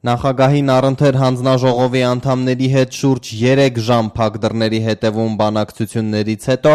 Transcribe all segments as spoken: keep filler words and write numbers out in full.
Նախագահին առընթեր հանձնաժողովի անդամների հետ շուրջ երեք ժամ փակ դռների հետևում բանակցություններից հետո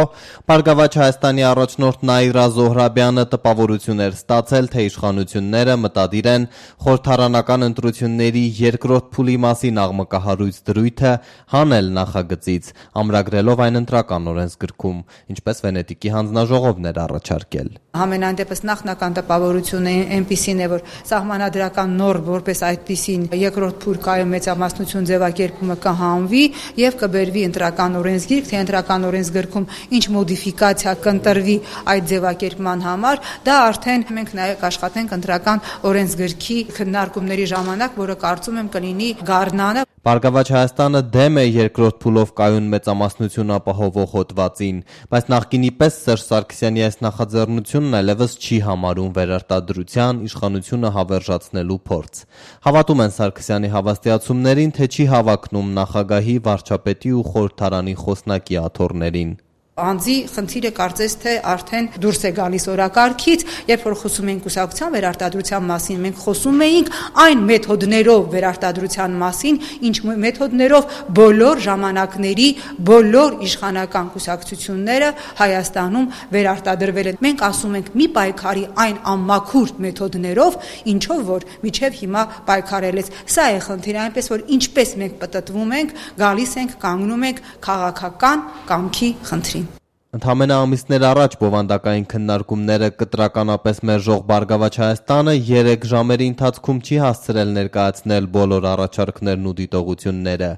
Բարգավաճ Հայաստանի առաջնորդ Նաիրա Զոհրաբյանը տպավորություն էր ստացել, թե իշխանությունները մտադիր են խորհրդարանական ընտրությունների երկրորդ փուլի մասին աղմկահարույց դրույթը հանել նախագծից, ամրագրելով այն ընտրական օրենսգրքում, ինչպես Վենետիկի հանձնաժողովն էր առաջարկել։ Համենայն դեպս նախնական տպավորությունը այնպիսին է, որ սահմանադրական նորմ որպես այդպիսին երկրորդ փուլ կայուն մեծամասնություն ձևակերպումը կհանվի եւ կբերվի ընտրական օրենսգիրք, թե ընտրական օրենսգրքում ինչ մոդիֆիկացիա կընտրվի այդ ձևակերպման համար, դա արդեն մենք նաեւ կաշխատենք ընտրական օրենսգրքի քննարկումների ժամանակ, որը կարծում եմ կլինի գարնանը։ Բարգավաճ Հայաստանը դեմ է երկրորդ փուլով կայուն մեծամասնություն ապահովող հոդվածին, բայց նախկինի պես Սերժ Սարգսյանի այս նախաձեռնությունն այլևս չի համարում վերարտադրության իշխանությունը հավերժացնելու փորձ։ Հավատում են Սարգսյանի հավաստիացումներին, թե չի հավակնում նախագահի, վարչապետի ու խորհրդարանի խոսնակի աթոռներին։ Անձի խնդիրը կարծես թե արդեն դուրս է գալիս օրակարգից, երբ որ խոսում ենք կուսակցության վերարտադրության մասին, մենք խոսում էինք այն մեթոդներով վերարտադրության մասին, ինչ մեթոդներով բոլոր ժամանակների բոլոր իշխանական կուսակցությունները Հայաստանում վերարտադրվել են։ Մենք ասում ենք մի պայքարի այն անմաքուր մեթոդներով, ինչով որ միջև հիմա պայքարել է։ Սա է խնդիրը, այնպես որ ինչպես մենք պտտվում ենք, գալիս ենք, կանգնում ենք քաղաքական կամքի խնդրին։ Ընդամենը ամիսներ առաջ բովանդակային քննարկումները կտրականապես մերժող Բարգավաճ Հայաստանը երեք ժամերի ընթացքում չի հասցրել ներկայացնել բոլոր առաջարկներն ու դիտողությունները։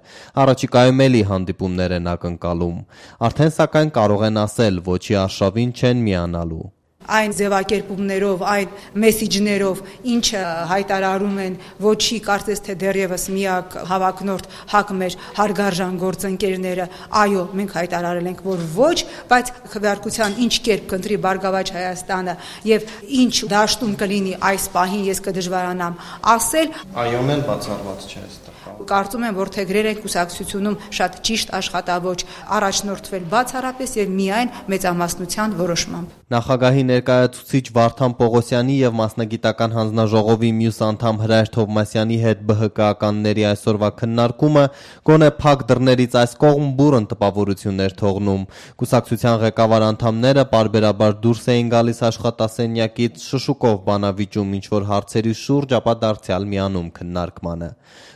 Առաջիկայում էլի հանդիպումներ են ակնկալում։ Արդեն սակայն կարող են ասել, ոչի արշավին չեն միանալու։ Այն ձևակերպումներով, այն մեսիջներով, ինչը հայտարարում են ոչի կարծես թե դեռևս միակ հավակնորդ հակ մեր հարգարժան գործընկերները, այո, մենք հայտարարել ենք, որ ոչ, բայց քվեարկության ինչ կերպ կընտրի Բարգավաճ Հայաստանը եւ ինչ դաշտում կլինի այս պահին, ես կդժվարանամ ասել։ Այոն էլ բացառված չէ այստեղ։ Կարծում եմ, որ թե գրել են կուսակցությունում շատ ճիշտ աշխատավոճ առաջնորդվել բացառապես եւ միայն մեծամասնության որոշմամբ։ Նախագահի ներկայացուցիչ Վարդան Պողոսյանի եւ մասնագիտական հանձնաժողովի մյուս անդամ Հրայր Թովմասյանի հետ ԲՀԿ-ականների այսօրվա քննարկումը գոնե փակ դռներից այս կողմ բուրըն տպավորություն էր թողնում։ Կուսակցության ղեկավար անդամները պարբերաբար դուրս էին գալիս աշխատասենյակից շշուկով բանավիճում ինչ-որ հարցերի շուրջ, ապա դարձյալ միանում քննարկմանը։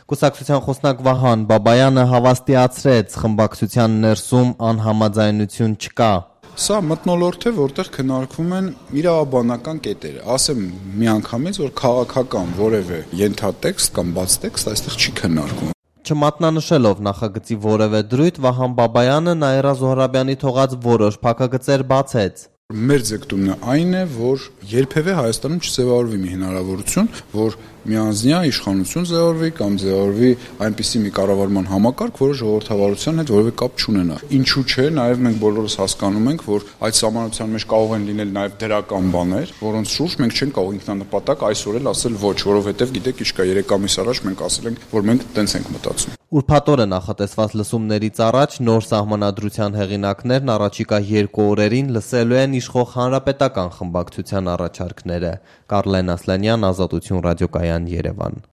Կուսակցության խոսնակ Վահան Բաբայանը հավաստիացրեց, խմբակցության ներսում անհամաձայնություն չկա։ Սա մթնոլորտ է, որտեղ քննարկվում են իրավաբանական կետերը։ Ասեմ միանգամից, որ քաղաքական որևէ ենթատեքստ կամ բաց տեքստ այստեղ չի քննարկվում։ Չմատնանշելով նախագծի որևէ դրույթ, Վահան Բաբայանը Նաիրա Զոհրաբյանի թողած որոշ փակագծեր բացեց։ Մեր ձգտումն այն է, որ երբևէ Հայաստանում չձևավորվի մի հնարավորություն, որ միանձնյա իշխանություն ձևավորվի կամ ձևավորվի այնպիսի մի կառավարման համակարգ, որը ժողովրդավարության հետ որևէ կապ չունենա։ Ինչու՞ չէ, նաև մենք բոլորս հասկանում ենք, որ այդ սահմանության մեջ կարող են լինել նաև դրական բաներ, որոնց շուրջ մենք չենք կարող ինքնանպատակ այսօր էլ ասել ոչ, որովհետև գիտեք, ինչ կա երեք ամիս առաջ մենք ասել ենք, որ մենք տենց ենք մտածում։ Ուրբաթ օրը նախատեսված լսումներից առաջ նոր սահմանադրության հեղինակներն առաջիկա երկու օրերին լսելու են իշխող հանրապետական խմբակցության առաջարկները։ Կարլեն Ասլանյան, Ազատություն ռադիոկայան, Երևան։